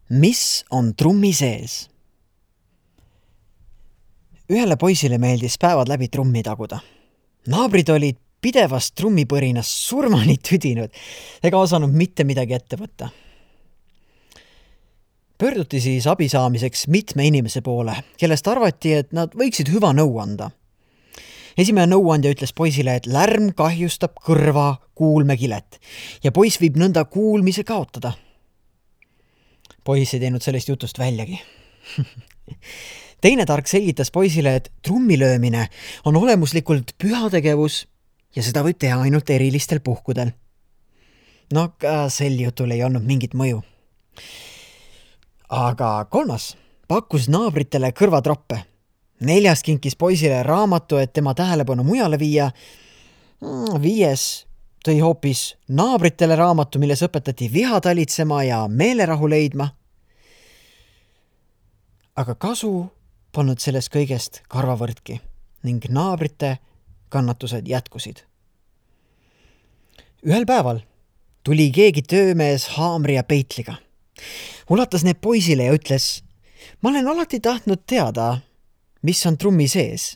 Mis on trummi sees? Ühele poisile meeldis päevad läbi trummi taguda. Naabrid olid pidevast trummipõrinas surmani tüdinud ega osanud mitte midagi ette võtta. Pöörduti siis abi saamiseks mitme inimese poole, kellest arvati, et nad võiksid hüva nõu anda. Esimene nõuandja ütles poisile, et lärm kahjustab kõrva kuulmekilet ja poiss võib nõnda kuulmise kaotada. Poiss ei teinud sellest jutust väljagi. Teine tark selgitas poisile, et trummilöömine on olemuslikult püha tegevus ja seda võib teha ainult erilistel puhkudel. No ka sel jutul ei olnud mingit mõju. Aga kolmas pakkus naabritele kõrvatroppe. Neljas kinkis poisile raamatu, et tema tähelepanu mujale viia. Viies tõi hoopis naabritele raamatu, milles õpetati viha talitsema ja meelerahu leidma. Aga kasu polnud sellest kõigest karvavõrdki ning naabrite kannatused jätkusid. Ühel päeval tuli keegi töömees haamri ja peitliga. Ulatas need poisile ja ütles, ma olen alati tahtnud teada, mis on trummi sees.